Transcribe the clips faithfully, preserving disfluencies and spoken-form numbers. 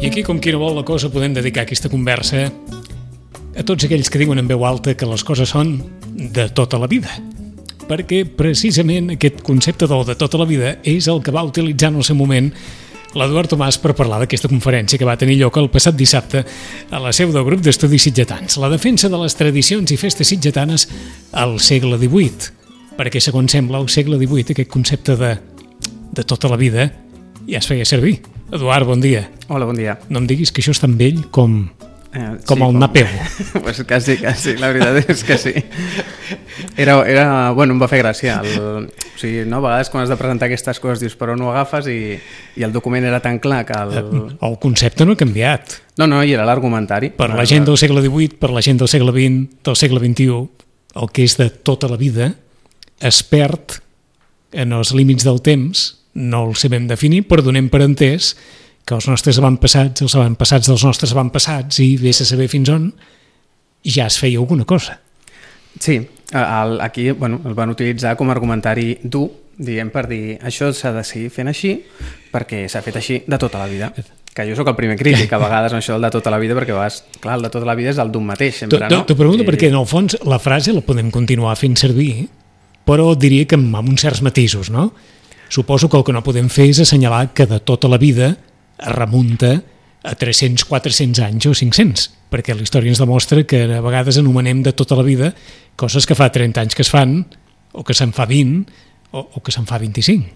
I aquí, com qui no vol la cosa, podem dedicar aquesta conversa a tots aquells que diuen en veu alta que les coses són de tota la vida. Perquè precisament aquest concepte del de tota la vida és el que va utilitzar en el seu moment l'Eduard Tomàs per parlar d'aquesta conferència que va tenir lloc el passat dissabte a la seu del grup d'estudis sitgetans. La defensa de les tradicions i festes sitgetanes al segle divuit. Perquè, segons sembla, al segle divuit aquest concepte de, de tota la vida ja es feia servir. Eduard, bon dia. Hola, bon dia. No em diguis que això és tan vell com, eh, com sí, el com... Napeu. Pues quasi, quasi, la veritat és que sí. Era, era, bueno, em va fer gràcia. El, o sigui, no, a vegades quan has de presentar aquestes coses dius, però no ho agafes i, i el document era tan clar que el... El concepte no ha canviat. No, no, i era l'argumentari. Per la gent del segle divuit, per la gent del segle vint, del segle vint-i-u, el que és de tota la vida es perd en els límits del temps. No el sabem definir, però donem per entès que els nostres avantpassats, els avantpassats dels nostres avantpassats, i vés a saber fins on, ja es feia alguna cosa. Sí, el, aquí bueno, el van utilitzar com a argumentari dur, diguem, per dir això s'ha de seguir fent així perquè s'ha fet així de tota la vida. Que jo sóc el primer crític, a vegades amb això del de tota la vida, perquè a vegades, clar, el de tota la vida és el d'un mateix, sempre, no? T'ho pregunto I... perquè, en el fons, la frase la podem continuar fent servir, però diria que amb uns certs matisos, no? Suposo que el que no podem fer és assenyalar que de tota la vida es remunta a tres-cents, quatre-cents anys o cinc-cents, perquè la història ens demostra que a vegades anomenem de tota la vida coses que fa trenta anys que es fan, o que se'n fa vint, o, o que se'n fa vint-i-cinc.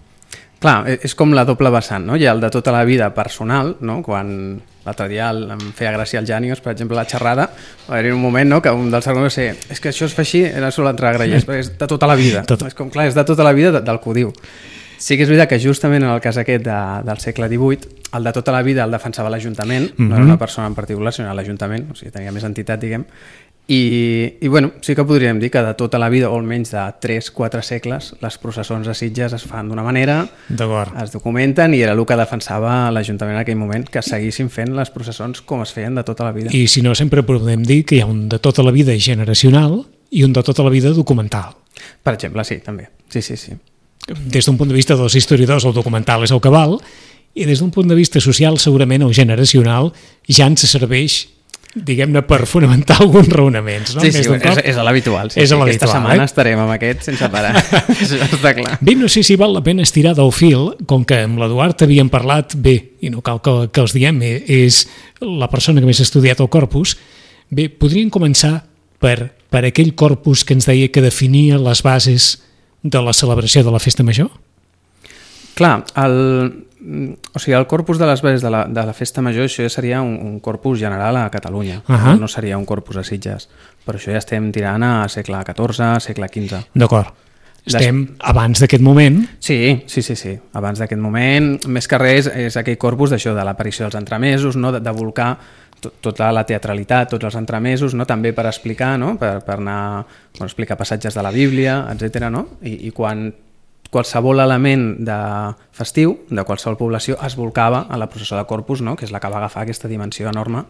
Clar, és com la doble vessant, no? Hi ha el de tota la vida personal, no? Quan l'altre dia em feia gràcia el Jànios, per exemple, la xerrada, va haver-hi un moment, no?, que un dels arguments va ser és que això es fa així, era sol entrar a grellers, perquè és de tota la vida. Tot. És com, clar, és de tota la vida del que ho diu. Sí que és veritat que justament en el cas aquest de, del segle divuit, el de tota la vida el defensava l'Ajuntament, mm-hmm. no era una persona en particular, sinó l'Ajuntament, o sigui, tenia més entitat, diguem, i, i bueno, sí que podríem dir que de tota la vida, o almenys de tres quatre segles, les processons de Sitges es fan d'una manera, es documenten, i era el que defensava l'Ajuntament en aquell moment, que seguissin fent les processons com es feien de tota la vida. I si no, sempre podem dir que hi ha un de tota la vida generacional i un de tota la vida documental. Per exemple, sí, també. Sí, sí, sí. Des d'un punt de vista dels historiadors, el documental és el que val, i des d'un punt de vista social, segurament el generacional ja ens serveix, diguem-ne, per fonamentar alguns raonaments. No? Sí, sí, és, és a l'habitual. Sí, és sí, a aquesta setmana eh? estarem amb aquest sense parar. Això està clar. Bé, no sé si val la pena estirar del fil, com que amb l'Eduard havíem parlat, bé, i no cal que, que els diem, és la persona que més ha estudiat el corpus, bé, podríem començar per, per aquell corpus que ens deia que definia les bases de la celebració de la festa major? Clar, el, o sigui, el corpus de les bases de la, de la festa major, això ja seria un, un corpus general a Catalunya, uh-huh. no seria un corpus a Sitges, però això ja estem tirant a segle catorze, segle quinze. D'acord. Estem Des... abans d'aquest moment? Sí, sí, sí, sí. Abans d'aquest moment, més que res, és aquell corpus d'això, de l'aparició dels entremesos, no? de, de volcar tota la teatralitat, tots els entremesos, no? També per explicar, no? per, per anar per explicar passatges de la Bíblia, etcètera. No? I, I quan qualsevol element de festiu, de qualsevol població, es volcava a la processó de Corpus, no? Que és la que va agafar aquesta dimensió enorme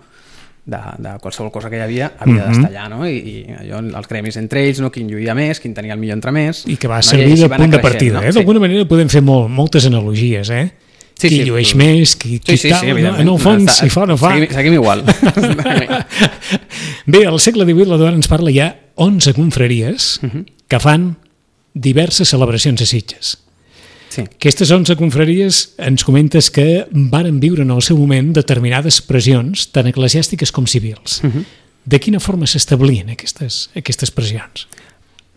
de, de qualsevol cosa que hi havia, havia mm-hmm. d'estar allà, no? I, i allò, els gremis entre ells, no? Quin lluïa més, quin tenia el millor entremès... I que va servir no? de punt de partida, no? eh? D'alguna sí. manera podem fer molt, moltes analogies, eh? Sí, qui sí, llueix sí. més, qui, qui sí, sí, tal, sí, no? En el fons, si fa o no fa... Seguim, seguim igual. Bé, al segle divuit l'Eduard ens parla ja onze confraries uh-huh. que fan diverses celebracions a Sitges. Sí. Aquestes onze confraries ens comentes que varen viure en el seu moment determinades pressions, tant eclesiàstiques com civils. Uh-huh. De quina forma s'establien aquestes, aquestes pressions?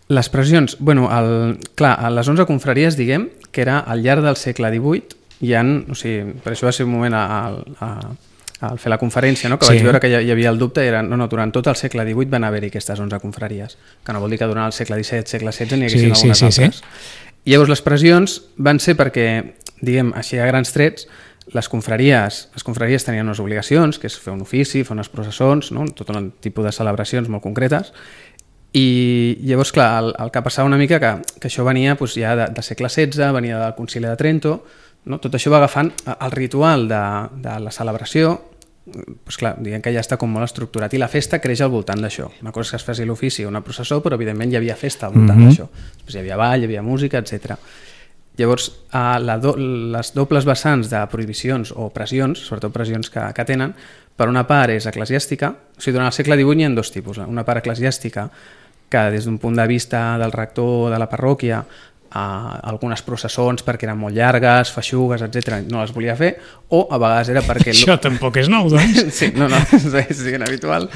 Les pressions, bueno, el, clar, a les onze confraries, diguem, que era al llarg del segle divuit, hi ha, o sigui, per això va ser un moment al fer la conferència, no? Que sí. Vaig veure que hi havia el dubte, era, no, no, durant tot el segle divuit van haver-hi aquestes onze confraries, que no vol dir que durant el segle disset, segle setze n'hi haguessin sí, algunes sí, sí, altres. Sí. I llavors les pressions van ser perquè, diguem, així a grans trets, les confraries, les confraries tenien unes obligacions, que és fer un ofici, fer unes processons, no? Tot un tipus de celebracions molt concretes. I llavors, clar, el, el que passava una mica que, que això venia doncs, ja de, de segle setze, venia del Concili de Trento, no? Tot això va agafant el ritual de, de la celebració, doncs clar, diguem que ja està com molt estructurat i la festa creix al voltant d'això. Una cosa és que es faci l'ofici o una processó, però evidentment hi havia festa al voltant mm-hmm. d'això. Després hi havia ball, hi havia música, etcètera. Llavors, a la do, les dobles vessants de prohibicions o pressions, sobretot pressions que, que tenen, per una part és eclesiàstica, o sigui, durant el segle divuit n'hi ha dos tipus. Una part eclesiàstica, que des d'un punt de vista del rector de la parròquia, eh, algunes processons perquè eren molt llargues, feixugues, etcètera, no les volia fer, o a vegades era perquè... Això tampoc és nou, doncs. Sí, no, no, és ben habitual.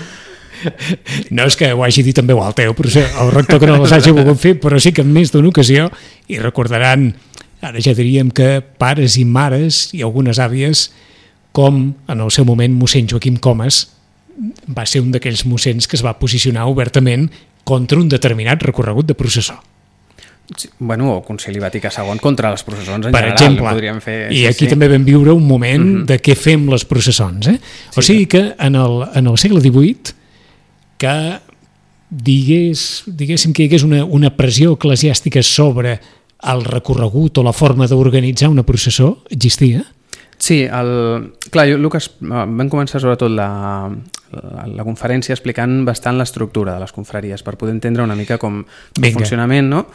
No és que ho hagi dit en veu alta, eh? Però el rector que no les hagi volgut fer, però sí que en més d'una ocasió, i recordaran, ara ja diríem que pares i mares i algunes àvies, com en el seu moment mossèn Joaquim Comas va ser un d'aquells mossens que es va posicionar obertament contra un determinat recorregut de processó. Sí, bueno, o Concili Vaticà segon contra les processons en per general. exemple, podríem fer, i sí, aquí sí. també vam viure un moment uh-huh. de què fem les processons. Eh? O sí, sigui que en el, en el segle divuit que digués, diguéssim que hi hagués una, una pressió eclesiàstica sobre el recorregut o la forma d'organitzar una processó, existia? Sí, el, clar, jo, Lucas, vam començar sobretot la, la, la conferència explicant bastant l'estructura de les confraries per poder entendre una mica com el funcionament, no?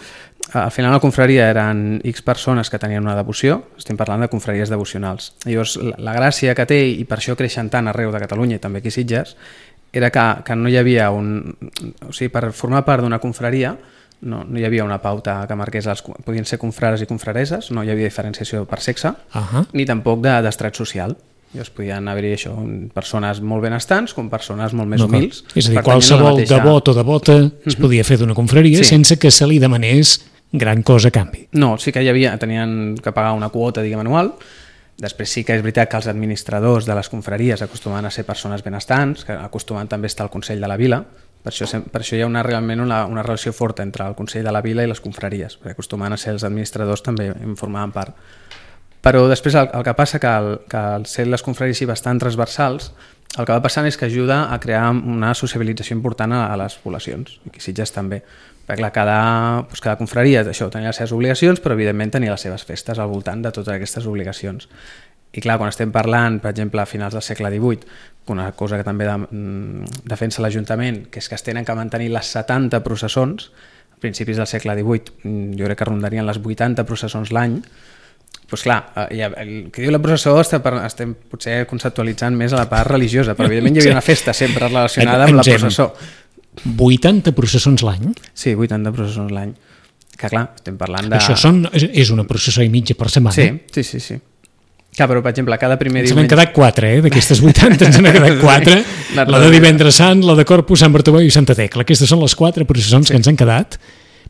Al final la confraria eren X persones que tenien una devoció, estem parlant de confraries devocionals. Llavors, la, la gràcia que té, i per això creixen tant arreu de Catalunya i també aquí a Sitges, era que, que no hi havia un... O sigui, per formar part d'una confraria no, no hi havia una pauta que marqués els, podien ser confrares i confrareses, no hi havia diferenciació per sexe, uh-huh. ni tampoc d'estrat de, social. Llavors podien haver-hi això, persones molt benestants com persones molt més humils. És a dir, qualsevol mateixa... devot o devota es podia fer d'una confraria sí. sense que se li demanés gran cosa a canvi. No, sí que hi havia, tenien que pagar una quota, diguem, anual. Després sí que és veritat que els administradors de les confraries acostumen a ser persones benestants, que acostumen també a estar al Consell de la Vila. Per això, per això hi ha una, realment una, una relació forta entre el Consell de la Vila i les confraries, perquè acostumen a ser els administradors també en formaven part. Però després el, el que passa que, el, que al ser les confraries bastant transversals, el que va passant és que ajuda a crear una sociabilització important a, a les poblacions, i aquí Sitges també. Perquè clar, cada, doncs cada confraria això, tenia les seves obligacions, però evidentment tenia les seves festes al voltant de totes aquestes obligacions. I clar, quan estem parlant, per exemple, a finals del segle divuit, una cosa que també de, defensa l'Ajuntament, que és que es tenen que mantenir les setanta processons, a principis del segle divuit, jo crec que rondarien les vuitanta processons l'any, doncs clar, el que diu la processó estem potser conceptualitzant més a la part religiosa, però evidentment hi havia una festa sempre relacionada amb la processó. vuitanta processons l'any? Sí, vuitanta processons l'any. Que clar, estem parlant de... Això són, és una processó i mitja per setmana? Sí, sí, sí. sí. Clar, però per exemple, cada primer ens diumenge... Ens n'han quedat quatre, eh? D'aquestes vuitanta ens n'han quedat quatre. Sí, la de Divendres Sant, la de Corpus, Sant Bartomeu i Santa Tecla. Aquestes són les quatre processons sí. que ens han quedat,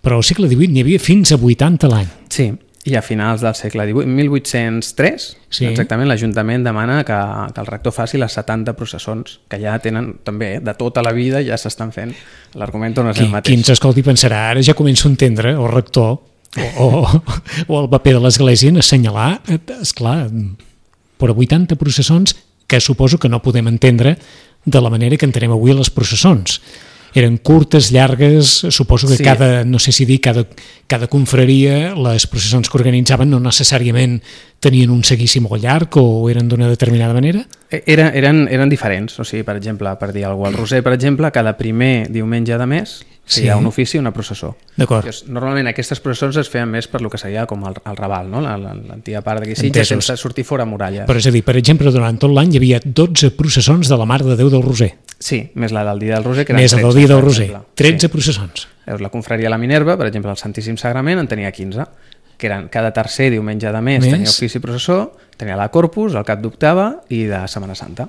però al segle divuit n'hi havia fins a vuitanta l'any. Sí, i a finals del segle divuit, mil vuit-cents tres, sí. exactament, l'Ajuntament demana que, que el rector faci les setanta processons, que ja tenen també, eh, de tota la vida ja s'estan fent. L'argument torna a ser el mateix. Qui ens escolti pensarà, ara ja començo a entendre el rector o, o, o el paper de l'Església en assenyalar, esclar, però vuitanta processons que suposo que no podem entendre de la manera que entenem avui les processons. Eren curtes, llargues, suposo que sí. cada, no sé si dir, cada, cada confraria, les processons que organitzaven no necessàriament tenien un seguici molt llarg o eren d'una determinada manera? Era, eren, eren diferents, o sigui, per exemple, per dir alguna cosa, el Roser, per exemple, cada primer diumenge de mes sí. hi ha un ofici i una processó. D'acord. Normalment aquestes processons es feien més per lo que seria com el, el Raval, no? l'antiga part d'aquí Sitges, sense sortir fora muralles. Però és a dir, per exemple, durant tot l'any hi havia dotze processons de la Mare de Déu del Roser. Sí, més la del dia del Roser, que eren més tretze. Més del dia del Roser, tretze sí. processons. La confraria La Minerva, per exemple, el Santíssim Sagrament en tenia quinze, que eren cada tercer diumenge de mes, mes. tenia ofici i processó, tenia la Corpus, el cap d'octava i de Setmana Santa.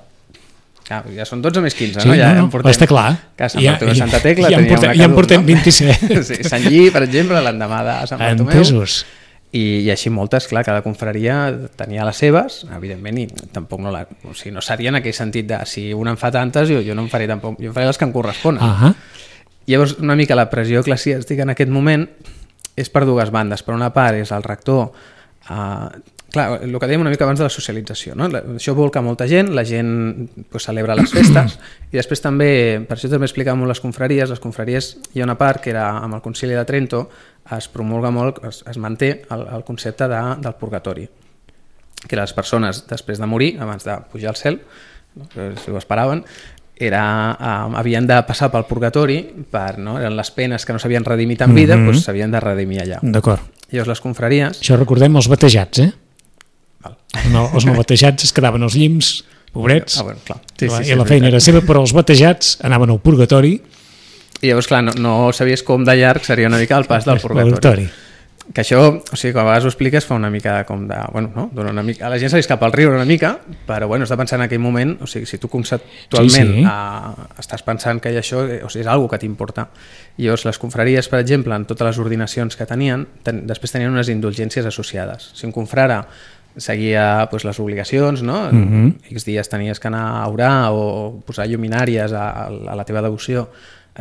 Ah, ja són dotze més quinze, sí, no? Ja no, no, portem, està clar. Que Sant Bartomeu i Santa Tecla ja, tenia portem, una cada ja en portem no? vint-i-set. Sí, Sant Lli, per exemple, l'endemà de Sant Bartomeu. Entesos. I, I així moltes, clar, cada confraria tenia les seves, evidentment, i tampoc no, la, o sigui, no seria en aquell sentit de si una en fa tantes, jo, jo no en faré tampoc, jo en faré les que em corresponen. Uh-huh. Llavors, una mica la pressió eclesiàstica en aquest moment és per dues bandes. Per una part és el rector, eh, clar, el que dèiem una mica abans de la socialització, no? Això volca molta gent, la gent pues, celebra les festes i després també, per això també explicàvem molt les confraries, les confraries hi ha una part que era amb el Concili de Trento es promulga molt, es, es manté el, el concepte de, del purgatori, que les persones després de morir, abans de pujar al cel, no? Si ho esperaven, era, uh, havien de passar pel purgatori, per, no? eren les penes que no s'havien redimit en vida, mm-hmm. doncs s'havien de redimir allà. D'acord. Llavors les confraries... Això recordem els batejats, eh? Val. No, els no batejats es quedaven als llims, pobrets, ah, bueno, clar. Sí, sí, i sí, la feina era seva, però els batejats anaven al purgatori. I llavors, clar, no, no sabies com de llarg seria una mica el pas del purgatori. purgatori. Que això, o sigui, quan a vegades ho expliques fa una mica com de... Bueno, no? Dona una mica, a la gent se li escapa el riure una mica, però bueno, has de pensar en aquell moment, o sigui, si tu conceptualment sí, sí. Uh, estàs pensant que això o sigui, és una que t'importa. I llavors les confraries, per exemple, en totes les ordinacions que tenien, ten, després tenien unes indulgències associades. Si un confrare seguia pues, les obligacions, no? Mm-hmm. X dies tenies que anar a orar o posar lluminàries a, a la teva devoció,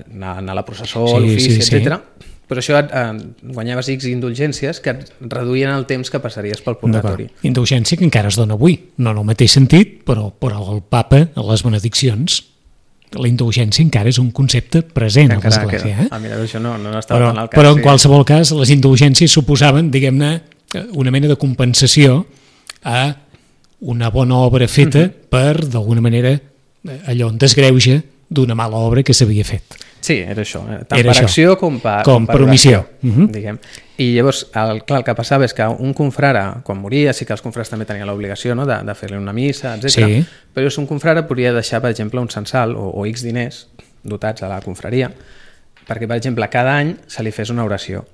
anar, anar a la processó, sí, a l'ofici, sí, etcètera. Sí. Però això et, eh, guanyaves X indulgències que et reduïen el temps que passaries pel purgatori. Indulgència que encara es dona avui, no en el mateix sentit, però, però el papa, a les benediccions, la indulgència encara és un concepte present a l'Església. Eh? Ah, mira, això no, no estava però, tan al cas. Però en sí. qualsevol cas, les indulgències suposaven, diguem-ne, una mena de compensació a una bona obra feta uh-huh. per, d'alguna manera, allò en desgreuja d'una mala obra que s'havia fet. Sí, era això, eh? tant era per això. acció com per, com com per, per omissió. Uh-huh. Diguem. I llavors, el, clar, el que passava és que un confrare, quan moria, sí que els confrares també tenien l'obligació, no?, de, de fer-li una missa, etcètera. Sí. Però un confrare podia deixar, per exemple, un censal o, o X diners dotats a la confraria perquè, per exemple, cada any se li fes una oració.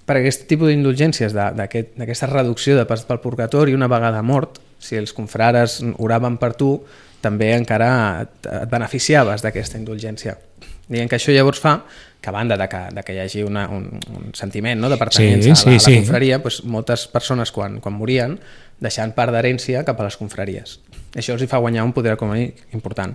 Per aquest tipus d'indulgències, d'aquesta aquest, reducció de pas pel purgatori, una vegada mort, si els confrares oraven per tu, també encara et, et beneficiaves d'aquesta indulgència. Diguem que això llavors fa que, a banda de que, de que hi hagi una, un, un sentiment, no?, de pertinença sí, sí, a la, a la sí. confraria, doncs moltes persones quan, quan morien deixaven part d'herència cap a les confraries. Això els hi fa guanyar un poder econòmic important.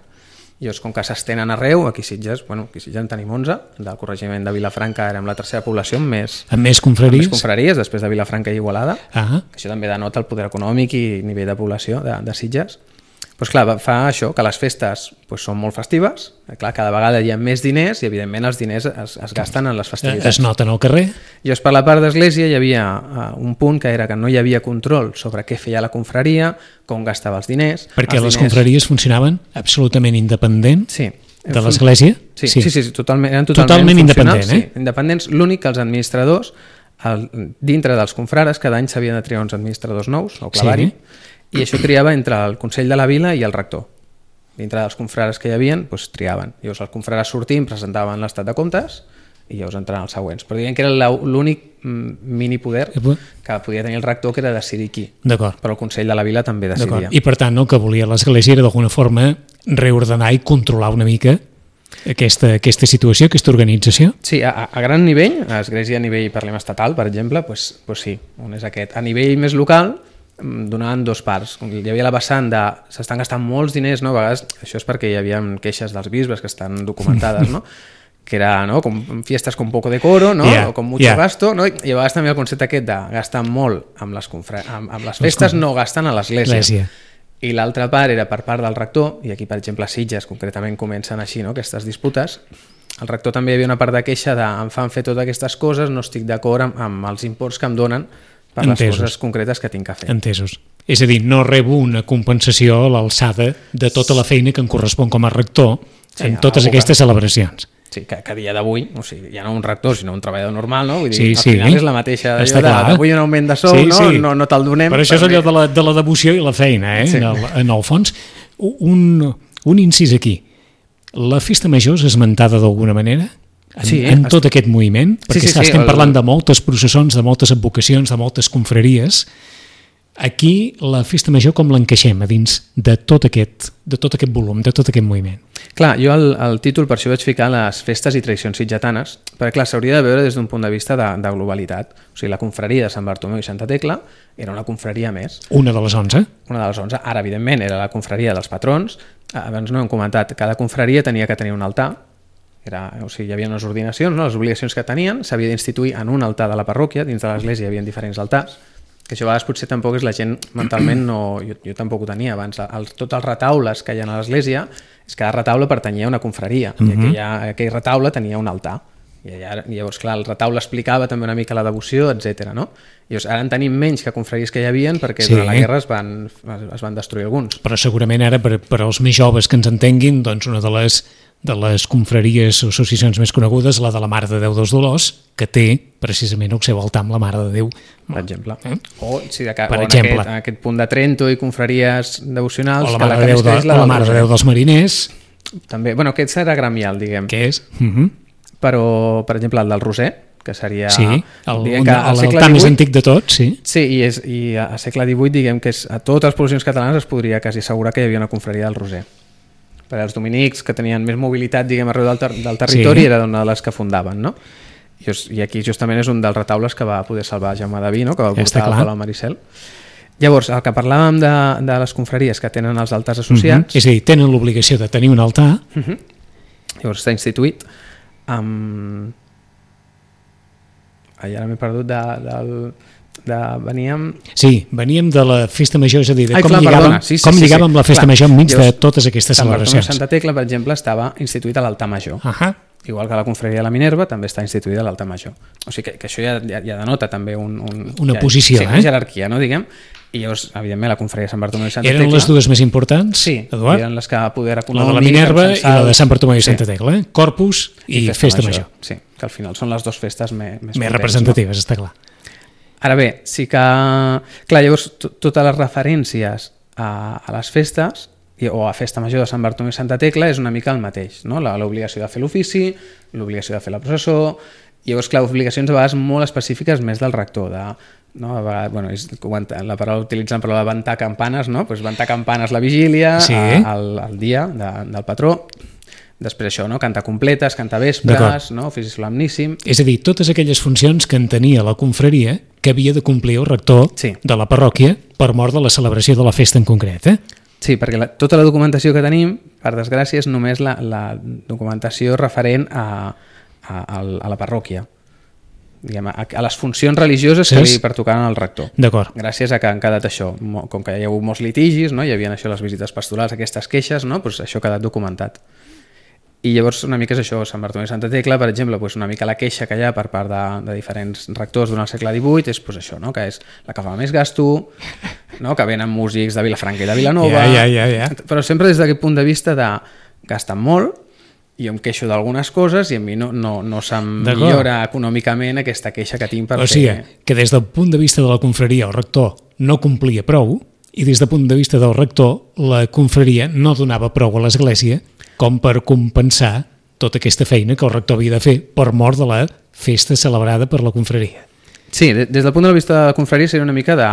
I llavors, com que s'estenen arreu, aquí a Sitges, bueno, aquí a Sitges en tenim onze, del corregiment de Vilafranca érem la tercera població amb més, amb més confraries, amb més confraries després de Vilafranca i Igualada. Ah. Això també denota el poder econòmic i nivell de població de, de Sitges. Pues clar, fa això, que les festes pues, són molt festives, clar, cada vegada hi ha més diners i evidentment els diners es, es gasten en les festivitats. Es noten al carrer. I llavors per la part d'església hi havia uh, un punt que era que no hi havia control sobre què feia la confraria, com gastava els diners... Perquè els les diners... confraries funcionaven absolutament independents sí. de l'església? Sí, sí, sí, sí, sí totalment, eren totalment, totalment independents. Eh? Sí, independents, l'únic que els administradors, el, dintre dels confrares, cada any s'havien de triar uns administradors nous, o clavari, sí. I això triava entre el Consell de la Vila i el rector. Dintre dels confrares que hi havia, doncs, triaven. Llavors els confrares sortint presentaven l'estat de comptes i llavors entraven els següents. Però diguem que era l'únic minipoder que podia tenir el rector, que era decidir qui. Però el Consell de la Vila també decidia. I per tant el que volia l'Església era d'alguna forma reordenar i controlar una mica aquesta, aquesta situació, aquesta organització? Sí, a, a gran nivell, a l'Església a nivell, parlem estatal, per exemple, doncs, doncs sí, on és aquest. A nivell més local, donaven dos parts. Hi havia la vessant de s'estan gastant molts diners, no? A vegades això és perquè hi havia queixes dels bisbes que estan documentades, no? Que era, no?, com fiestes con poco decoro, no? Yeah, o con mucho yeah. gasto, no? I a vegades també el concepte aquest de gastar molt amb les, confra... amb, amb les festes, no gasten a l'església. I l'altra part era per part del rector, i aquí per exemple a Sitges concretament comencen així, no?, aquestes disputes. El rector també hi havia una part de queixa de em fan fer totes aquestes coses, no estic d'acord amb, amb els imports que em donen per les Entesos. Coses concretes que tinc que fer. Entesos. És a dir, no rebo una compensació a l'alçada de tota la feina que em correspon com a rector sí, en totes aquestes celebracions. Sí, que, que a dia d'avui, o sigui, ja no un rector, sinó un treballador normal, no? Vull dir, sí, al sí. final és la mateixa d'allò de vull un augment de sou, sí, no? Sí. No, no te'l donem. Però això és allò de la, de la devoció i la feina, eh? Sí. En, el, en el fons. Un, un incís aquí. La festa major és esmentada d'alguna manera? En, sí, en tot aquest moviment, perquè sí, sí, estem sí, parlant el... de moltes processons, de moltes advocacions, de moltes confraries. Aquí la festa major com l'encaixem a dins de tot aquest, de tot aquest volum, de tot aquest moviment? Clar, jo el, el títol per això vaig ficar les festes i tradicions sitgetanes, perquè clar, s'hauria de veure des d'un punt de vista de, de globalitat. O sigui, la confraria de Sant Bartomeu i Santa Tecla era una confraria més. Una de les onze? Una de les onze. Ara, evidentment, era la confraria dels patrons. Abans no hem comentat, cada confraria tenia que tenir un altar. Era, o sigui, hi havia unes ordinacions, no? Les obligacions que tenien s'havia d'instituir en un altar de la parròquia, dins de l'església hi havia diferents altars, que això a vegades potser tampoc és la gent mentalment, no, jo, jo tampoc ho tenia abans, el, tots els retaules que hi ha a l'església, és que cada retaule pertanyia a una confraria, uh-huh. i aquella, aquell retaule tenia un altar, i allà, llavors clar, el retaule explicava també una mica la devoció, etcètera. No? Llavors, ara en tenim menys que confraries que hi havia perquè sí. durant la guerra es van, es van destruir alguns. Però segurament ara per, per als més joves que ens entenguin, doncs una de les de les confraries o associacions més conegudes, la de la Mare de Déu dels Dolors, que té precisament el seu altar amb la Mare de Déu. Per exemple. Eh? O, sí, de, per o exemple. En, aquest, en aquest punt de Trento i confraries devocionals... O la que Mare, la de, Déu de, la la Mare de Déu dels Mariners. També, bueno, aquest serà gremial, diguem. Què és? Uh -huh. Però, per exemple, el del Roser, que seria... Sí, l'altar més antic de tot, sí. Sí, i, és, i a segle divuit, diguem que és, a totes les poblacions catalanes es podria quasi assegurar que hi havia una confraria del Roser. Per als dominics, que tenien més mobilitat, diguem, arreu del, ter del territori, sí. Era una de les que fundaven, no? I, I aquí justament és un dels retaules que va poder salvar Jaume Daví, no? Que va portar al Palau Maricel. Llavors, el que parlàvem de, de les confraries que tenen els altars associats... Uh -huh. És a dir, tenen l'obligació de tenir un altar. Uh -huh. Llavors està instituït amb... Ai, ara m'he perdut de, de, de... Veníem... Sí, veníem de la festa major, és a dir, de Ai, com clar, lligàvem, sí, sí, com sí, lligàvem sí, la festa clar. major enmig Llavors, de totes aquestes celebracions. Sant Bartomeu Santa Tecla, per exemple, estava instituït a l'altar major. Uh -huh. Igual que la confraria de la Minerva també està instituïda a l'altar major. O sigui que, que això ja, ja, ja denota també un, un, una ja, posició, sí, eh? Una jerarquia, no, diguem. I llavors, evidentment, la confraria de Sant Bartomeu i Santa eren Tecla... Eren les dues més importants, sí, Eduard? eren les que poder la de la Minerva i la de Sant Bartomeu i Santa Tecla, eh? Corpus i, i festa, festa major. major. Sí, que al final són les dues festes més, més, més representatives, no? Està clar. Ara bé, sí que... Clar, llavors, totes les referències a, a les festes o a Festa Major de Sant Bartomeu i Santa Tecla és una mica el mateix, no? L'obligació de fer l'ofici, l'obligació de fer la processó, i llavors, clar, obligacions a vegades molt específiques més del rector, de, no? A vegades, bueno, és, la paraula utilitzen per la de ventar campanes, no? Pues ventar campanes la vigília, sí. el, el dia de, del patró, després això, no? Cantar completes, cantar vespres, no? Ofici solemníssim... És a dir, totes aquelles funcions que en tenia la confraria que havia de complir el rector sí. de la parròquia per mort de la celebració de la festa en concret, eh? Sí, perquè la, tota la documentació que tenim, per desgràcia, és només la, la documentació referent a, a, a la parròquia, diguem, a, a les funcions religioses sí, que li pertocaven al rector. D'acord. Gràcies a que han quedat això, com que hi ha hagut molts litigis, no? Hi havia això, les visites pastorals, aquestes queixes, no? Pues això ha quedat documentat. I llavors una mica és això, Sant Bartomeu i Santa Tecla, per exemple, pues una mica la queixa que hi ha per part de, de diferents rectors durant el segle divuit és pues això, no? Que és la que fa més gasto, no? Que venen músics de Vilafranca i de Vilanova, ja, ja, ja, ja. Però sempre des d'aquest punt de vista de gasten molt i em queixo d'algunes coses i a mi no, no, no se'm millora econòmicament aquesta queixa que tinc per o sigui, fer... que des del punt de vista de la confraria el rector no complia prou i des del punt de vista del rector la confraria no donava prou a l'església com per compensar tota aquesta feina que el rector havia de fer per mort de la festa celebrada per la confraria. Sí, des del punt de vista de la confraria seria una mica de...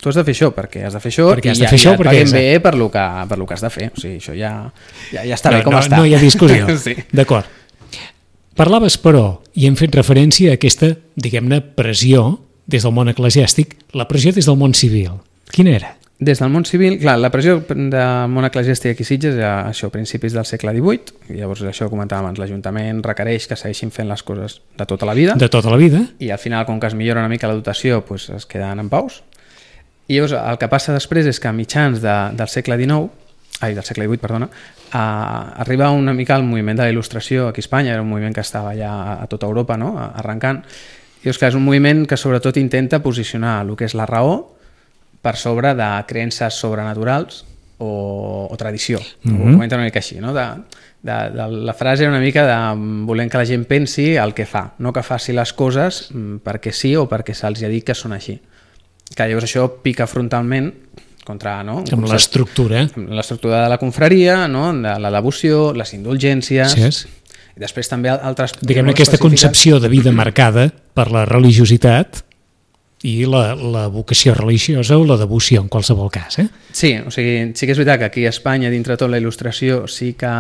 Tu has de fer això perquè has de fer això perquè has i de ja, fer això, ja et perquè paguem bé per lo, que, per lo que has de fer. O sigui, això ja, ja, ja està no, bé com no, està. No hi ha discussió. Sí. D'acord. Parlaves, però, i hem fet referència a aquesta, diguem-ne, pressió des del món eclesiàstic, la pressió des del món civil. Quina era? Des del món civil, clar, la pressió del món eclesiàstic aquí a Sitges era això, principis del segle divuit, i llavors això comentàvem abans, l'Ajuntament requereix que segueixin fent les coses de tota la vida. De tota la vida. I al final, com que es millora una mica la dotació, pues, es queden en paus. I llavors el que passa després és que a mitjans de, del segle dinou, ai, del segle divuit, perdona, a, arriba una mica el moviment de la il·lustració aquí a Espanya, era un moviment que estava ja a tota Europa, no?, arrencant. I llavors, clar, és un moviment que sobretot intenta posicionar el que és la raó per sobre de creences sobrenaturals o, o tradició. Mm-hmm. Ho comenta una mica així, no? De, de, de, la frase era una mica de volent que la gent pensi el que fa, no que faci les coses perquè sí o perquè se'ls ha dit que són així. Que llavors això pica frontalment contra... No? Amb l'estructura. Amb l'estructura de la confraria, no? De la devoció, les indulgències... Sí, és. I després també altres... Diguem-ne aquesta concepció de vida marcada per la religiositat i la, la vocació religiosa o la devoció en qualsevol cas, eh? Sí, o sigui, sí que és veritat que aquí a Espanya, dintre tot la il·lustració, sí que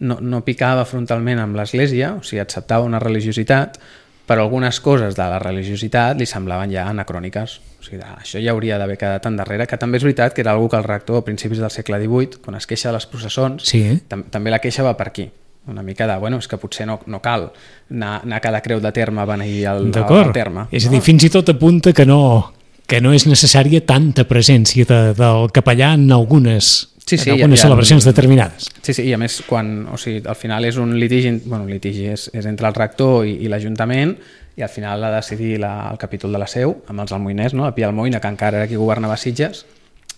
no, no picava frontalment amb l'Església, o sigui, acceptava una religiositat, però algunes coses de la religiositat li semblaven ja anacròniques. O sigui, això ja hauria d'haver quedat endarrere, que també és veritat que era algo que el rector a principis del segle divuit, quan es queixa de les processons, sí. tam també la queixa va per aquí. Una mica de, bueno, és que potser no, no cal anar, anar a cada creu de terme a beneir el, el terme. És a dir, fins i tot apunta que no, que no és necessària tanta presència de, del capellà en algunes, sí, sí, en algunes ja, ja, celebracions determinades. Sí, sí, i a més, quan, o sigui, al final és un litigi, bueno, un litigi és, és entre el rector i, i l'Ajuntament, i al final ha de decidir la, el capítol de la Seu, amb els almoiners, no? A Pi Almoina, que encara era qui governava Sitges,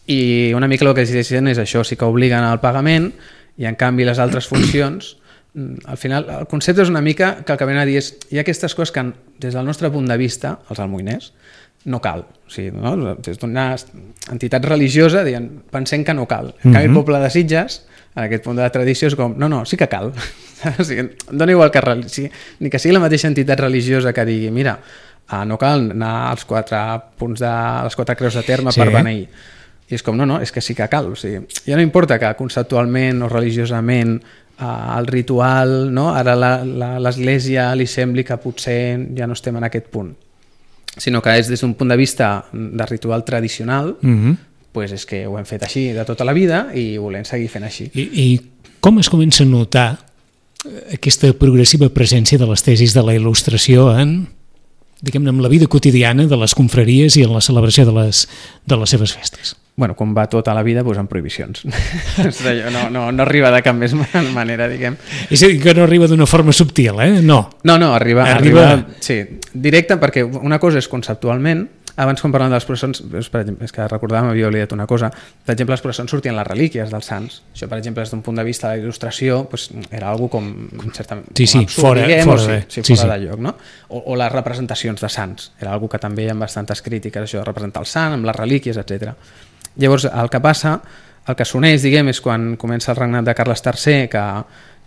i una mica el que decideixen és això, sí que obliguen al pagament, i en canvi les altres funcions al final el concepte és una mica que el que ven a dir és hi ha aquestes coses que des del nostre punt de vista, els almoiners, no cal. O sigui, no? Des d'una entitat religiosa dient, pensem que no cal. En canvi, el poble de Sitges, en aquest punt de la tradició, és com, no, no, sí que cal. O sigui, dona igual que sí, ni que sigui la mateixa entitat religiosa que digui, mira, ah, no cal anar als quatre punts de les quatre creus de terme sí. per beneir. I és com, no, no, és que sí que cal. O sigui, ja no importa que conceptualment o religiosament uh, el ritual, no? Ara l'Església li sembli que potser ja no estem en aquest punt, sinó que és des d'un punt de vista de ritual tradicional, mm-hmm. pues és que ho hem fet així de tota la vida i volem seguir fent així. I, i com es comença a notar aquesta progressiva presència de les tesis de la il·lustració en, diguem-ne, en la vida quotidiana de les confraries i en la celebració de les, de les seves festes? Bueno, com va tota la vida, doncs amb prohibicions. no, no, no arriba de cap més manera, diguem. És a dir, que no arriba d'una forma subtil, eh? No. No, no, arriba, arriba... arriba sí, directe, perquè una cosa és conceptualment, abans quan parlàvem de les processons, per exemple, és que recordàvem, havia oblidat una cosa, per exemple, les processons sortien les relíquies dels sants. Això, per exemple, des d'un punt de vista de la il·lustració, doncs, era algo com, certament, sí, sí, com absurd, fora, diguem, fora, o de, sí, sí, sí, fora sí. de lloc, no? O, o les representacions de sants. Era algo que també hi ha bastantes crítiques, això de representar el sant, amb les relíquies, etcètera. Llavors, el que passa, el que s'uneix, diguem, és quan comença el regnat de Carles tercer, que,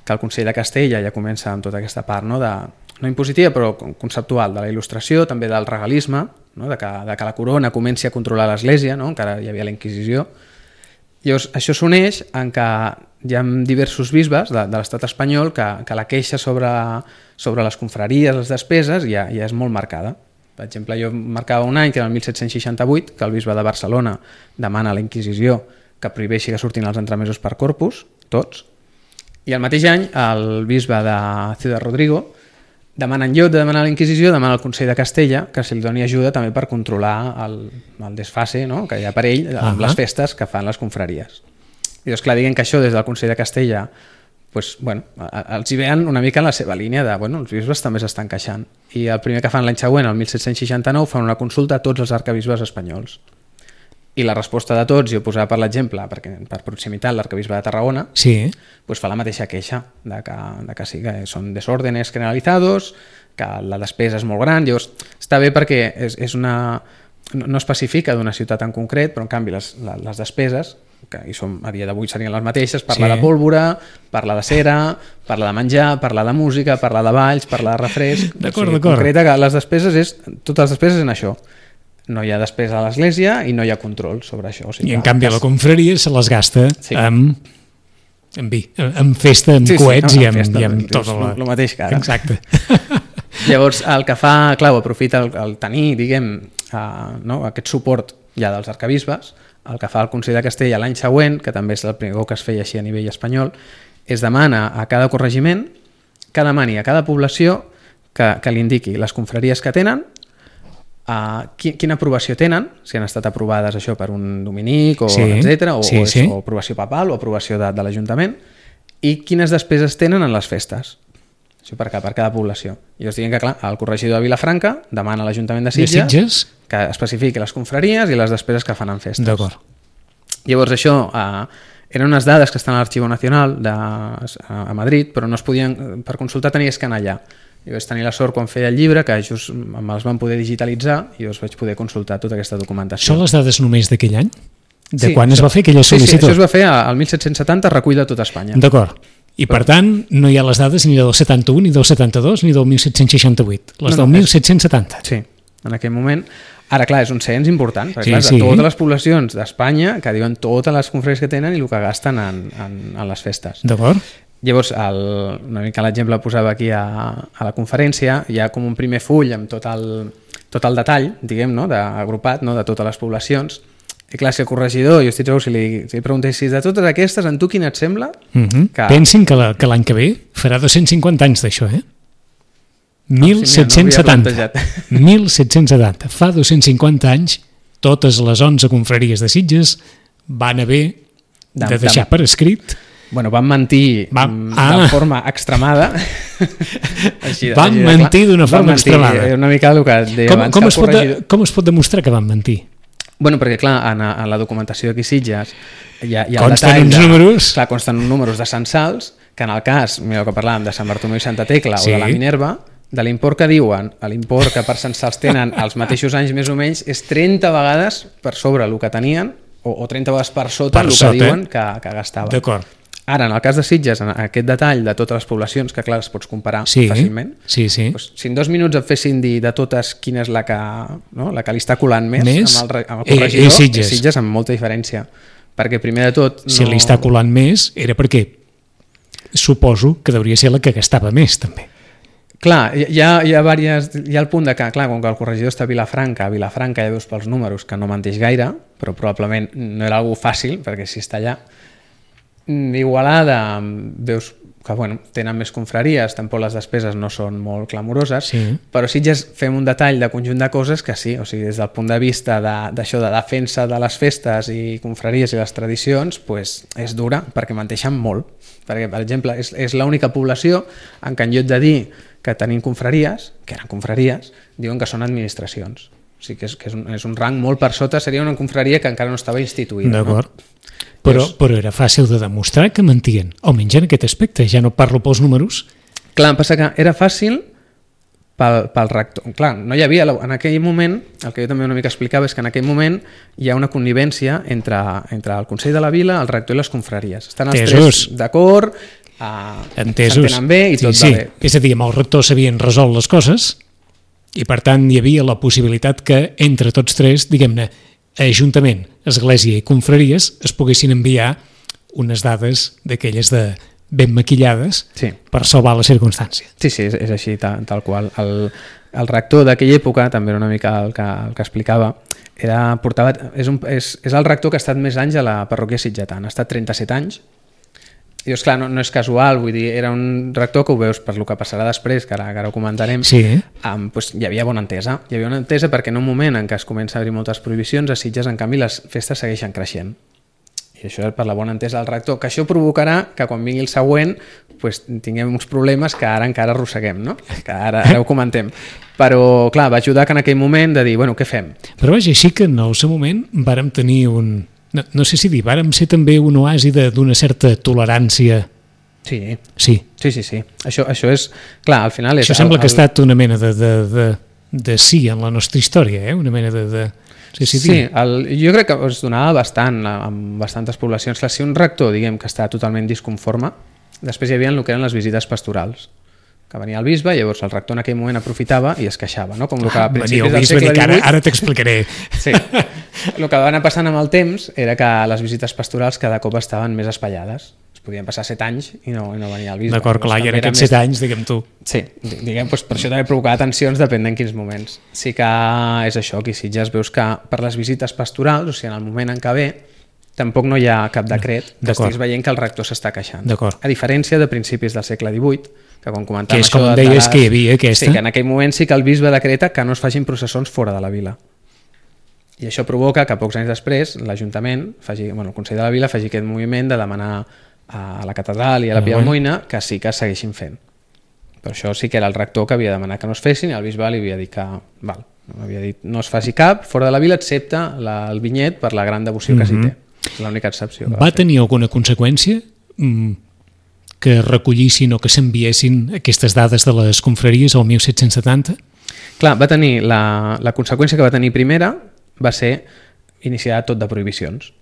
que el Consell de Castella ja comença amb tota aquesta part, no, de, no impositiva, però conceptual, de la il·lustració, també del regalisme, no, de, que, de que la corona comenci a controlar l'Església, no, encara hi havia la Inquisició. Llavors, això s'uneix en què hi ha diversos bisbes de, de l'estat espanyol que, que la queixa sobre, sobre les confraries, les despeses, ja, ja és molt marcada. Per exemple, jo marcava un any, que era el mil set-cents seixanta-vuit, que el bisbe de Barcelona demana a la Inquisició que prohibeixi que surtin els entremesos per corpus, tots, i el mateix any el bisbe de Ciudad Rodrigo demana, en lloc de demanar a la Inquisició, demana al Consell de Castella que se li doni ajuda també per controlar el, el desfase, no?, que hi ha per ell amb uh-huh. les festes que fan les confraries. I doncs clar, diguen que això des del Consell de Castella pues, bueno, els hi veien una mica en la seva línia de, bueno, els bisbes també s'estan queixant. I el primer que fan l'any següent, el mil set-cents seixanta-nou, fan una consulta a tots els arcabisbes espanyols. I la resposta de tots, jo posava per l'exemple, perquè per proximitat l'arcabisbe de Tarragona, sí. pues fa la mateixa queixa, de que, de que sí, que són desórdenes generalizados, que la despesa és molt gran. Llavors, està bé perquè és, és una, no especifica d'una ciutat en concret, però en canvi les, les despeses, que hi som, a dia d'avui serien les mateixes, parla sí. de pólvora, parla de cera, parla de menjar, parla de música, parla de balls, parla de refresc. D'acord, o sigui, d'acord. Concreta que les despeses és, totes les despeses en això. No hi ha despesa a l'església i no hi ha control sobre això. O sigui, I en canvi la confraria se les gasta sí. amb, amb, vi, amb festa, amb sí, coets sí, no, i amb, festa, i amb tot el... el mateix que ara. Exacte. Llavors, el que fa, clar, aprofita el, el tenir, diguem, uh, no, aquest suport ja dels arcabisbes, el que fa el Consell de Castella l'any següent, que també és el primer que es feia així a nivell espanyol, es demana a cada corregiment que demani a cada població que, que li indiqui les confraries que tenen, uh, quina aprovació tenen, si han estat aprovades això per un dominic, o, sí, etcètera, o, sí, o, és, sí. o aprovació papal o aprovació de, de l'Ajuntament, i quines despeses tenen en les festes. Això per, per cada població. I us diguem que, clar, el corregidor de Vilafranca demana a l'Ajuntament de Sitges, de Sitges que especifiqui les confraries i les despeses que fan en festes. D'acord. Llavors això eh, eren unes dades que estan a l'Arxiu Nacional de, a Madrid, però no es podien, per consultar tenies que anar allà. I vaig tenir la sort quan feia el llibre que just me'ls van poder digitalitzar i us vaig poder consultar tota aquesta documentació. Són les dades només d'aquell any? De sí, quan això, es va fer aquella sol·licitud? Sí, sí, això es va fer al mil set-cents setanta, recull de tot Espanya. D'acord. I per tant, no hi ha les dades ni del setanta-u, ni del setanta-dos, ni del mil set-cents seixanta-vuit. Les no, no, del mil set-cents setanta. Sí, en aquell moment. Ara, clar, és un cens important, perquè sí, clar, sí. de totes les poblacions d'Espanya que diuen totes les confraries que tenen i el que gasten en, en, en les festes. D'acord. Llavors, el, una mica l'exemple posava aquí a, a la conferència, hi ha com un primer full amb tot el, tot el detall, diguem, no?, de, agrupat, no?, de totes les poblacions. I clar, si el corregidor, jo estic segur, si li, si li preguntessis de totes aquestes, en tu quina et sembla? Uh-huh. que... Pensin que, la, que l'any que ve farà dos-cents cinquanta anys d'això, eh? mil set-cents setanta. mil set-cents setanta. Fa dos-cents cinquanta anys, totes les onze confraries de Sitges van haver de, de deixar de... per escrit... Bueno, van mentir va... ah. de forma extremada. Així, van així, mentir d'una forma mentir, extremada. Una mica el que deia com, abans. Com, que es pot de, com es pot demostrar que van mentir? Bueno, perquè clar, en, en la documentació d'aquí Sitges hi ha, hi ha consten el detall uns de, números... Clar, consten uns números de censals que en el cas, mira el que parlàvem de Sant Bartomeu i Santa Tecla sí. o de la Minerva, de l'import que diuen a l'import que per censals tenen els mateixos anys més o menys és trenta vegades per sobre el que tenien o, o trenta vegades per sota per el sota, que diuen que, que gastaven. D'acord. Ara, en el cas de Sitges, en aquest detall de totes les poblacions, que clar, es pots comparar sí, fàcilment, sí, sí. Doncs, si en dos minuts et fessin dir de totes quina és la que, no? la que li està colant més, més? amb el, amb el corregidor, eh, eh, Sitges. Sitges amb molta diferència. Perquè primer de tot... No... Si li està colant més era perquè suposo que hauria ser la que gastava més també. Clar, hi ha, hi ha, diverses, hi ha el punt de que, clar, com que el corregidor està a Vilafranca, a Vilafranca ja veus pels números que no menteix gaire, però probablement no era algú fàcil, perquè si està allà. Igualada, veus que bueno, tenen més confraries, tampoc les despeses no són molt clamoroses, sí. però sí ja fem un detall de conjunt de coses que sí, o sigui, des del punt de vista d'això de, de defensa de les festes i confraries i les tradicions, pues, és dura, perquè menteixen molt. Perquè, per exemple, és, és l'única població en què en lloc de dir que tenim confraries, que eren confraries, diuen que són administracions. O sigui que és, que és, un, és un rang molt per sota, seria una confraria que encara no estava instituïda. D'acord. No? Però, però era fàcil de demostrar que mentien, almenys en aquest aspecte, ja no parlo pels números. Clar, em passa que era fàcil pel, pel rector. Clar, no hi havia, en aquell moment, el que jo també una mica explicava és que en aquell moment hi ha una connivència entre, entre el Consell de la Vila, el rector i les confraries. Estan els Entesos. tres d'acord, eh, s'entenen bé i tot sí, sí. va bé. És a dir, amb el rector s'havien resolt les coses i per tant hi havia la possibilitat que entre tots tres, diguem-ne, Ajuntament, Església i Confraries es poguessin enviar unes dades d'aquelles de ben maquillades sí. per salvar la circumstància. Sí, sí, és, és així, tal, tal qual. El, el rector d'aquella època, també era una mica el que, el que explicava, era, portava, és, un, és, és el rector que ha estat més anys a la parròquia sitgetana, ha estat trenta-set anys. I doncs, clar, no, no és casual, vull dir, era un rector que ho veus per lo que passarà després, que ara, que ara ho comentarem, sí. um, doncs hi havia bona entesa. Hi havia bona entesa perquè en un moment en què es comença a haver moltes prohibicions, a Sitges, en canvi, les festes segueixen creixent. I això és per la bona entesa del rector, que això provocarà que quan vingui el següent doncs, tinguem uns problemes que ara encara arrosseguem, no? Que ara, ara ho comentem. Però, clar, va ajudar que en aquell moment de dir, bueno, què fem? Però vaja, així que en el seu moment vàrem tenir un... No, no sé si dir, vàrem ser també un oasi d'una certa tolerància. Sí, sí, sí, sí. sí. Això, això és... Clar, al final... És això sembla el, que ha estat una mena de, de, de, de sí en la nostra història, eh? Una mena de... de... Sí, sí, sí el, jo crec que es donava bastant amb bastantes poblacions. Clar, si un rector, diguem, que està totalment disconforme, després hi havia el que eren les visites pastorals, que venia el bisbe, llavors el rector en aquell moment aprofitava i es queixava, no? Com el que a principis del segle divuit... Ara, ara t'explicaré. Sí. El que va anar passant amb el temps era que les visites pastorals cada cop estaven més espaiades. Es podien passar set anys i no, i no venia el bisbe. D'acord, clar, i en aquests set anys, diguem tu. Sí, diguem, doncs per això també provocava tensions depèn d'en quins moments. Sí que és això, aquí si ja es veus que per les visites pastorals, o sigui, en el moment en què ve, tampoc no hi ha cap decret que estiguis veient que el rector s'està queixant. A diferència de principis del segle divuit, que quan comentàvem que és això... com de deies les... que hi havia aquesta. Sí, que en aquell moment sí que el bisbe decreta que no es facin processons fora de la vila. I això provoca que pocs anys després l'Ajuntament, faci, bueno, el Consell de la Vila, faci aquest moviment de demanar a la catedral i a la Pia Almoina que sí que es segueixin fent. Per això sí que era el rector que havia de demanar que no es fessin i el bisbe li havia dit que val, havia dit, no es faci cap fora de la vila excepte la, el vinyet per la gran devoció que mm-hmm. s'hi té. És l'única excepció. Va, va tenir alguna conseqüència mm, que recollissin o que s'enviessin aquestes dades de les confraries al disset setanta? Clar, va tenir la, la conseqüència que va tenir primera va ser iniciar tot de prohibicions.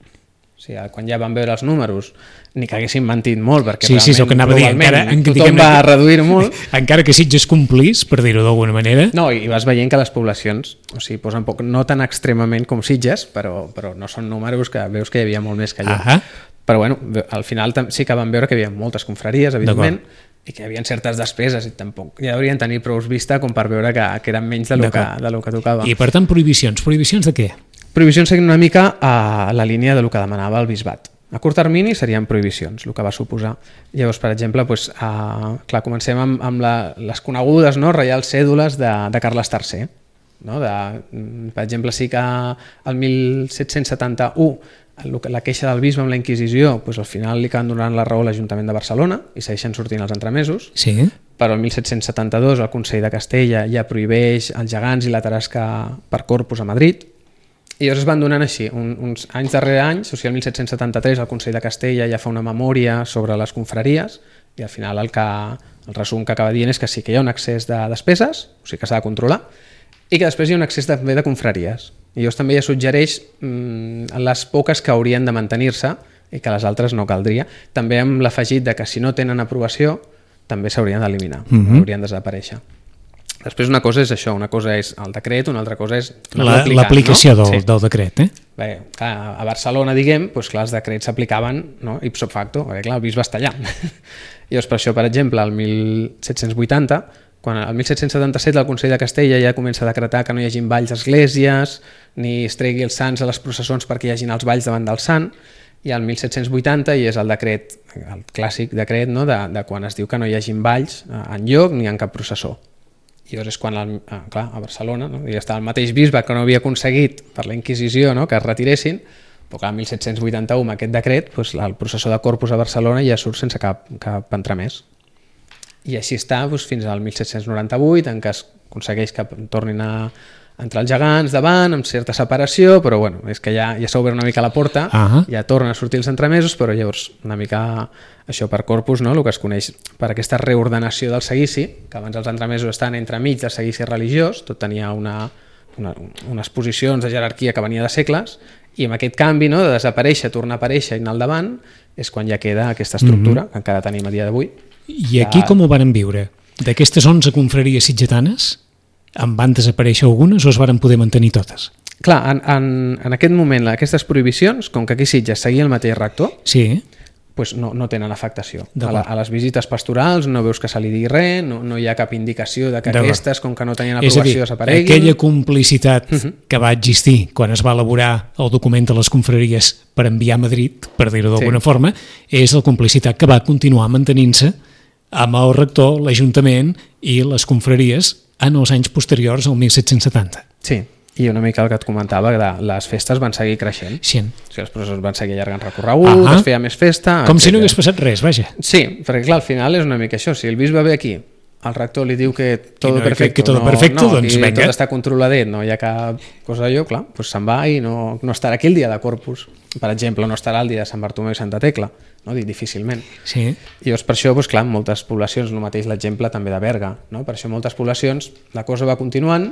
O sigui, quan ja van veure els números, ni que haguessin mentit molt, perquè sí, sí, realment, sí, encara, tothom va reduir molt. Encara que Sitges complís, per dir-ho d'alguna manera. No, i vas veient que les poblacions, o sigui, posen poc, no tan extremament com Sitges, però, però no són números que veus que hi havia molt més que allò. Ahà. Però bueno, al final sí que van veure que hi havia moltes confraries, evidentment, i que hi havia certes despeses i tampoc ja haurien tenir prou vista com per veure que, que eren menys de lo que, de lo que tocava. I per tant, prohibicions. Prohibicions de què? Prohibicions seguint una mica a la línia de lo que demanava el bisbat. A curt termini serien prohibicions, el que va suposar. Llavors, per exemple, doncs, a, clar, comencem amb, amb la, les conegudes, no, reials cèdules de, de Carles tercer. No? De, per exemple, sí que el disset setanta-u la queixa del bisbe amb la Inquisició, doncs al final li acaben donant la raó a l'Ajuntament de Barcelona i segueixen sortint els entremesos. Sí. Però el disset setanta-dos el Consell de Castella ja prohibeix els gegants i la tarasca per corpus a Madrid. I llavors es van donant així, un, uns anys darrere anys, o sigui, el mil set-cents setanta-tres el Consell de Castella ja fa una memòria sobre les confraries i al final el, que, el resum que acaba dient és que sí que hi ha un excés de despeses, o sigui que s'ha de controlar, i que després hi ha un excés també de confraries. I llavors també ja suggereix mmm, les poques que haurien de mantenir-se i que les altres no caldria. També amb l'afegit de que si no tenen aprovació també s'haurien d'eliminar, mm-hmm. haurien de desaparèixer. Després una cosa és això, una cosa és el decret, una altra cosa és l'aplicació no? del, sí. del decret. Eh? Bé, clar, a Barcelona, diguem, doncs, clar, els decrets s'aplicaven no? ipso facto, perquè clar, el bisbe està allà. I doncs, per això, per exemple, el mil set-cents vuitanta, quan el mil set-cents setanta-set el Consell de Castella ja comença a decretar que no hi hagin balls a esglésies, ni es tregui els sants a les processons perquè hi hagin els balls davant del sant, i el mil set-cents vuitanta i és el decret, el clàssic decret no? de, de quan es diu que no hi hagin balls enlloc ni en cap processó. I llavors és quan, el, clar, a Barcelona, no? ja estava el mateix bisbe que no havia aconseguit per la Inquisició no? que es retiressin, però clar, el mil set-cents vuitanta-u amb aquest decret doncs, el processó de Corpus a Barcelona ja surt sense cap, cap entremès. I així està doncs, fins al mil set-cents noranta-vuit, en què es aconsegueix que tornin a entrar els gegants davant, amb certa separació, però bueno, és que ja, ja s'ha obert una mica la porta, uh-huh. ja tornen a sortir els entremesos, però llavors una mica això per Corpus, no? El que es coneix per aquesta reordenació del seguici, que abans els entremesos estan entremig del seguici religiós, tot tenia una, una, unes posicions de jerarquia que venia de segles, i amb aquest canvi no? de desaparèixer, tornar a aparèixer i anar al davant, és quan ja queda aquesta estructura uh-huh. que encara tenim a dia d'avui. I aquí ja... com ho varen viure? D'aquestes onze confraries sitgetanes, en van desaparèixer algunes o es varen poder mantenir totes? Clar, en, en, en aquest moment aquestes prohibicions, com que aquí Sitges seguia el mateix rector, sí. pues no, no tenen afectació. A, la, a les visites pastorals no veus que se li digui res, no, no hi ha cap indicació de que aquestes, com que no tenien aprovació, desapareguin. Aquella complicitat uh-huh. que va existir quan es va elaborar el document de les confraries per enviar a Madrid, per dir-ho d'alguna sí. forma, és la complicitat que va continuar mantenint-se amb el rector, l'Ajuntament i les confraries en els anys posteriors al mil set-cents setanta. Sí, i una mica el que et comentava, que les festes van seguir creixent. Sí. O sigui, els professors van seguir allargant recorregut, uh-huh. es feia més festa... Com etcètera. Si no hagués passat res, vaja. Sí, perquè clar, al final és una mica això. Si el bisbe ve aquí, el rector li diu que tot no, perfecte, que, que tot no, perfecte, no, doncs venga. Tot està controladet, no hi ha cap cosa d'allò, clar, doncs se'n va i no, no estarà aquí el dia de Corpus. Per exemple, no estarà el dia de Sant Bartomeu i Santa Tecla, no? Difícilment. Sí. I llavors per això, doncs, clar, moltes poblacions, el mateix l'exemple també de Berga, no? Per això moltes poblacions la cosa va continuant,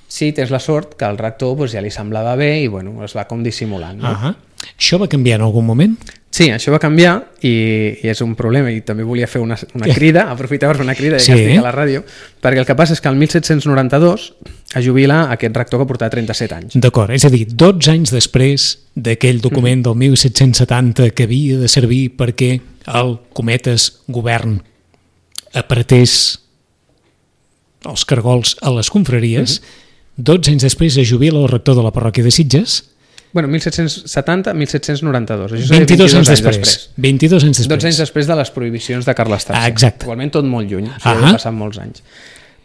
sí, tens la sort que el rector doncs, ja li semblava bé i bueno, es va com dissimulant. No? Uh-huh. Això va canviar en algun moment? Sí, això va canviar i, i és un problema i també volia fer una, una crida, aprofitar per fer una crida ja sí. que estic a la ràdio, perquè el que passa és que el mil set-cents noranta-dos es jubila aquest rector que portava trenta-set anys. D'acord, és a dir, dotze anys després d'aquell document mm. del mil set-cents setanta que havia de servir perquè el, cometes, govern apretés els cargols a les confraries, mm-hmm. dotze anys després es jubila el rector de la parròquia de Sitges. Bueno, mil set-cents setanta a mil set-cents noranta-dos. Això vint-i-dos anys després. després. vint-i-dos anys després. dotze anys després de les prohibicions de Carles tercer. Ah, exacte. Igualment tot molt lluny, o sigui, uh-huh. han passat molts anys.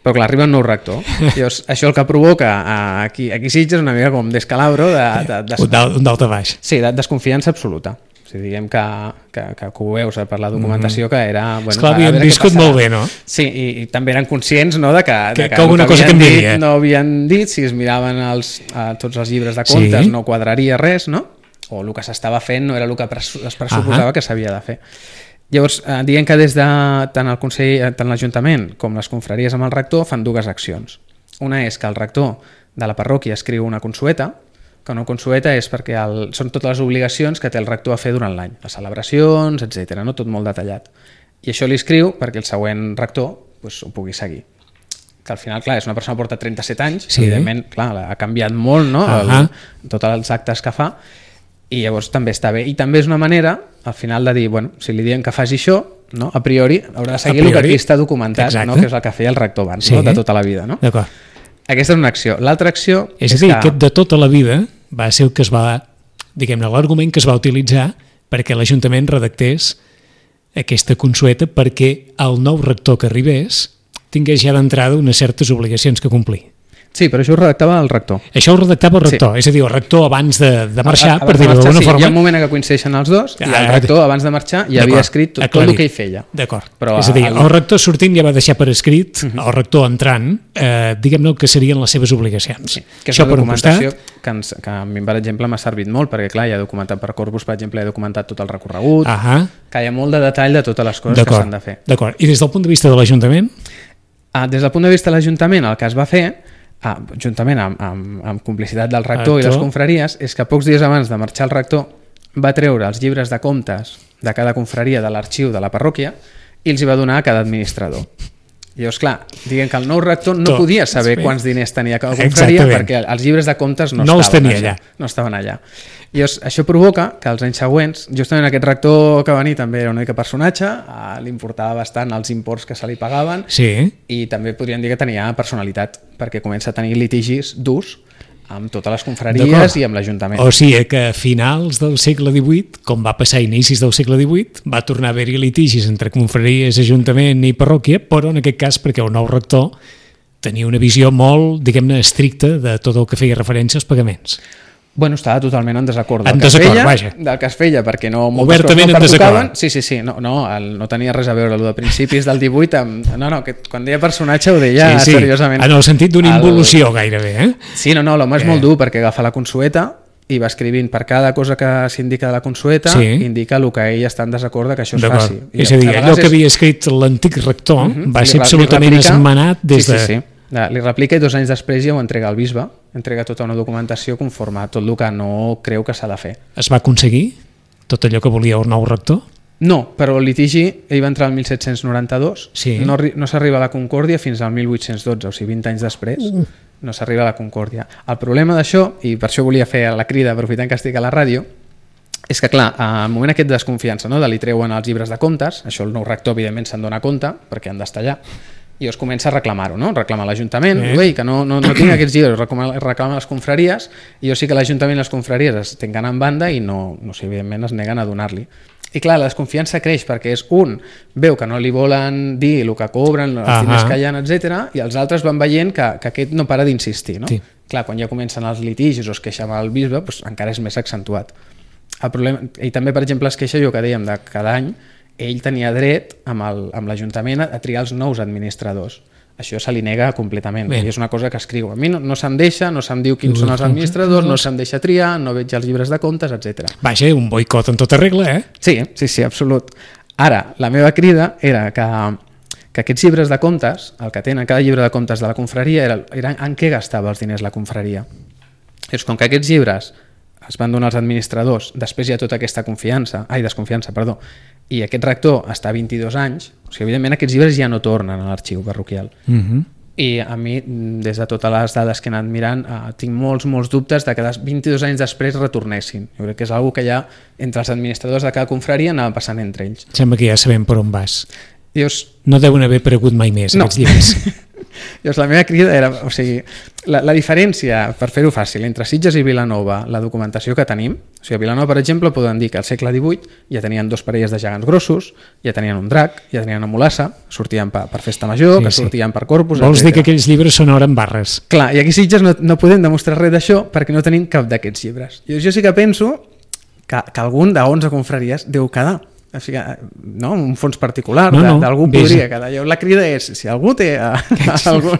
Però clar, arriba un nou rector. Llavors, això el que provoca aquí, aquí Sitges una mica com d'escalabro. De, de, de, de, un d'alta baix. Sí, de desconfiança absoluta. O sigui, diguem que, que, que, que ho veus per la documentació mm-hmm. que era... Bueno, esclar, havien viscut molt bé, no? Sí, i, i també eren conscients no, de que, que, de que, que alguna que cosa canviaria. No havien dit, si es miraven els, a tots els llibres de comptes sí. no quadraria res, no? O el que s'estava fent no era el que es pressuposava uh-huh. que s'havia de fer. Llavors, eh, diguem que des de tant el Consell, tant l'Ajuntament com les confraries amb el rector fan dues accions. Una és que el rector de la parròquia escriu una consueta, que una consueta és perquè el, són totes les obligacions que té el rector a fer durant l'any, les celebracions, etcètera, no? Tot molt detallat. I això li escriu perquè el següent rector pues, ho pugui seguir. Que al final, clar, és una persona que porta trenta-set anys, sí. evidentment, clar, ha canviat molt, no? Uh-huh. el, tots els actes que fa, i llavors també està bé. I també és una manera, al final, de dir, bueno, si li diem que faci això, no? A priori haurà de seguir el que aquí està documentat, no? Que és el que feia el rector abans, sí. no? De tota la vida, no? D'acord. Aquesta és una acció. L'altra acció... És a dir, que... aquest de tota la vida va ser el que es va, diguem-ne, l'argument que es va utilitzar perquè l'Ajuntament redactés aquesta consueta perquè el nou rector que arribés tingués ja d'entrada unes certes obligacions que complir. Sí, però això ho redactava el rector. Això ho redactava el rector, sí. És a dir, el rector abans de, de marxar, a, per dir-ho d'alguna sí, forma... Hi ha un moment que coincideixen els dos i el rector abans de marxar ja havia escrit tot, tot el que ell feia. D'acord, és a dir, el... el rector sortint ja va deixar per escrit, uh -huh. el rector entrant, eh, diguem-ne que serien les seves obligacions. Sí, que és això una documentació costat... que, ens, que a mi, per exemple, m'ha servit molt, perquè clar, ja he documentat per Corpus, per exemple, he documentat tot el recorregut, uh -huh. que hi ha molt de detall de totes les coses que s'han de fer. D'acord, i des del punt de vista de l'Ajuntament? Ah, des del punt de vista de l'Ajuntament, el que es va fer, ah, juntament amb, amb, amb complicitat del rector, rector i les confraries, és que pocs dies abans de marxar el rector va treure els llibres de comptes de cada confraria de l'arxiu de la parròquia i els hi va donar a cada administrador. I llavors, clar, diguem que el nou rector no Tot. podia saber quants diners tenia cada confraria perquè els llibres de comptes no, no estaven allà. no estaven allà. I llavors, això provoca que els anys següents, justament aquest rector que va venir també era una mica personatge, li importava bastant els imports que se li pagaven sí. i també podríem dir que tenia personalitat perquè comença a tenir litigis durs amb totes les confraries i amb l'Ajuntament. O sigui que a finals del segle divuit, com va passar a inicis del segle divuit, va tornar a haver-hi litigis entre confraries, Ajuntament i parròquia, però en aquest cas perquè el nou rector tenia una visió molt, diguem-ne, estricta de tot el que feia referència als pagaments. Bueno, estava totalment en desacord del, en que, desacord, feia, vaja. del que es feia, perquè no, obertament no en desacord. Sí, sí, sí, no, no, el, no tenia res a veure el de principis del divuit amb... No, no, que quan deia personatge ho deia sí, sí, seriosament. En el sentit d'una involució el... gairebé, eh? Sí, no, no, l'home és eh. molt dur perquè agafa la consueta i va escrivint per cada cosa que s'indica de la consueta, sí. indica el que ell està en desacord que això es faci. I és a dir, allò que havia escrit l'antic rector uh -huh. va ser absolutament esmenat des sí, de... Sí, sí. Li replica i dos anys després ja ho entrega al bisbe, entrega tota una documentació conforme a tot el que no creu que s'ha de fer. Es va aconseguir tot allò que volia el nou rector? No, però el litigi, ell va entrar el mil set-cents noranta-dos, sí. no, no s'arriba a la concòrdia fins al mil vuit-cents dotze, o sigui, vint anys després, uh. no s'arriba a la concòrdia. El problema d'això, i per això volia fer la crida aprofitant que estic a la ràdio, és que, clar, al moment aquest de desconfiança, no, de li treuen els llibres de comptes, això el nou rector, evidentment, se'n dona compte, perquè han d'estar allà, i es comença a reclamar-ho, no? Reclama l'Ajuntament, eh. que no, no, no tinc aquests llibres, reclama, reclama les confraries, i jo sí que l'Ajuntament i les confraries es tenen en banda i no, no sé, evidentment es neguen a donar-li. I clar, la desconfiança creix perquè és un, veu que no li volen dir el que cobren, els uh-huh. diners que hi ha, etcètera, i els altres van veient que, que aquest no para d'insistir, no? Sí. Clar, quan ja comencen els litigis o es queixa amb el bisbe, doncs encara és més accentuat. El problema, ell també, per exemple, es queixa, jo que dèiem, de cada any, ell tenia dret amb, el, amb l'Ajuntament a triar els nous administradors. Això se li nega completament. Bé. I és una cosa que escriu. A mi no, no se'm deixa, no se'm diu quins són els administradors, no se'm deixa triar, no veig els llibres de comptes, etcètera. Vaja, un boicot en tota regla, eh? Sí, sí, sí, absolut. Ara, la meva crida era que, que aquests llibres de comptes, el que tenen cada llibre de comptes de la confraria, era, era en què gastava els diners la confraria. És com que aquests llibres es van donar als administradors, després hi ha tota aquesta confiança, ai, desconfiança, perdó, i aquest rector està vint-i-dos anys, o sigui, evidentment aquests llibres ja no tornen a l'arxiu parroquial. Uh-huh. I a mi, des de totes les dades que he anat mirant, eh, tinc molts, molts dubtes de que vint-i-dos anys després retornessin. Jo crec que és una cosa que ja entre els administradors de cada confraria anava passant entre ells. Sembla que ja sabem per on vas. Llavors, no deuen haver aparegut mai més, no. Aquests llibres. Llavors, la meva crida era, o sigui, la, la diferència, per fer-ho fàcil, entre Sitges i Vilanova, la documentació que tenim, o sigui, a Vilanova, per exemple, poden dir que al segle divuit ja tenien dos parelles de gegants grossos, ja tenien un drac, ja tenien una mulassa, sortien per, per festa major, sí, que sortien sí. per Corpus, Vols etcètera. dir que aquells llibres són ara en barres? Clar, i aquí a Sitges no, no podem demostrar res d'això perquè no tenim cap d'aquests llibres. Jo, jo sí que penso que, que algun d'onze confraries deu quedar. O sigui, no? Un fons particular, no, no, d'algú podria quedar. La crida és, si algú té algun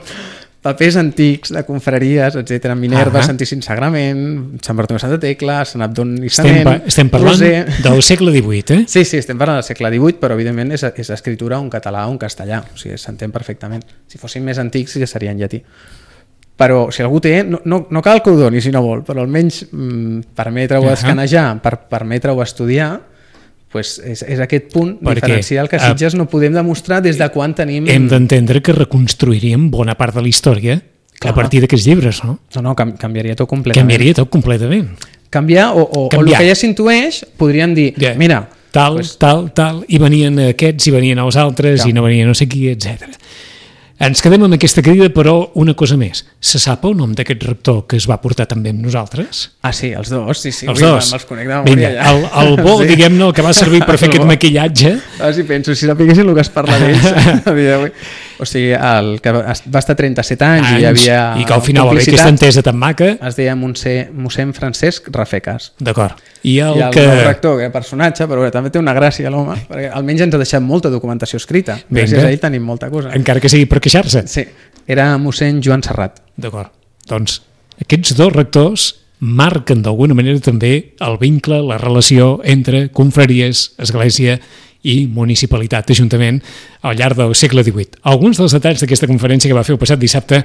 papers antics de confraries, etcètera, Minerva, uh -huh. Santíssim Sagrament, Sant Bartomeu Santa Tecla, Sant Abdon i Sant Estem, estem parlant Roser. Del segle divuit, eh? Sí, sí, estem parlant del segle divuit, però evidentment és, és escritura un català o un castellà, o sigui, s'entén perfectament. Si fossin més antics ja seria en llatí. Però si algú té, no, no, no cal que ho doni si no vol, però almenys mm, permetre-ho uh -huh. escanejar, per permetre-ho estudiar, pues és, és aquest punt Perquè, diferencial que a Sitges no podem demostrar des de quan tenim... Hem d'entendre que reconstruiríem bona part de la història Clar. a partir d'aquests llibres, no? No, no, canviaria tot completament. Canviaria tot completament. Canviar, o, o, o el que ja s'intueix, podríem dir, yeah. mira... Tal, pues... tal, tal, i venien aquests, i venien els altres, Clar. i no venia no sé qui, etcètera. Ens quedem amb aquesta crida, però una cosa més. Se sap el nom d'aquest rector que es va portar també amb nosaltres? Ah, sí, els dos, sí, sí. Els dos. Me'ls conec de memòria ja. El, el bo, sí. diguem-ne, el que va servir per fer aquest maquillatge. Ah, sí, penso, si sapiguessin el que es parla d'ells a dia d'avui. O sigui, el que va estar trenta-set anys, anys i hi havia i que al final va haver aquesta entesa tan maca. Es deia mossèn Francesc Rafecas. D'acord. I el, I el que... nou rector, que era personatge, però bé, també té una gràcia l'home, perquè almenys ens ha deixat molta documentació escrita. Gràcies Vinga. a ell tenim molta cosa. Encara que sigui per queixar-se. Sí, era mossèn Joan Serrat. D'acord. Doncs aquests dos rectors marquen d'alguna manera també el vincle, la relació entre confraries, església i municipalitat, ajuntament, al llarg del segle divuit. Alguns dels detalls d'aquesta conferència que va fer el passat dissabte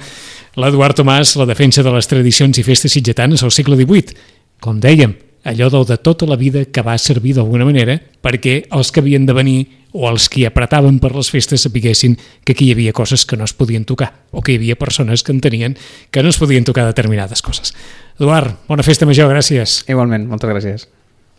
l'Eduard Tomàs, la defensa de les tradicions i festes sitgetanes al segle divuit. Com dèiem, allò del de tota la vida que va servir d'alguna manera perquè els que havien de venir o els que apretaven per les festes sapiguessin que aquí hi havia coses que no es podien tocar o que hi havia persones que entenien que no es podien tocar determinades coses. Eduard, bona festa major, gràcies. Igualment, moltes gràcies.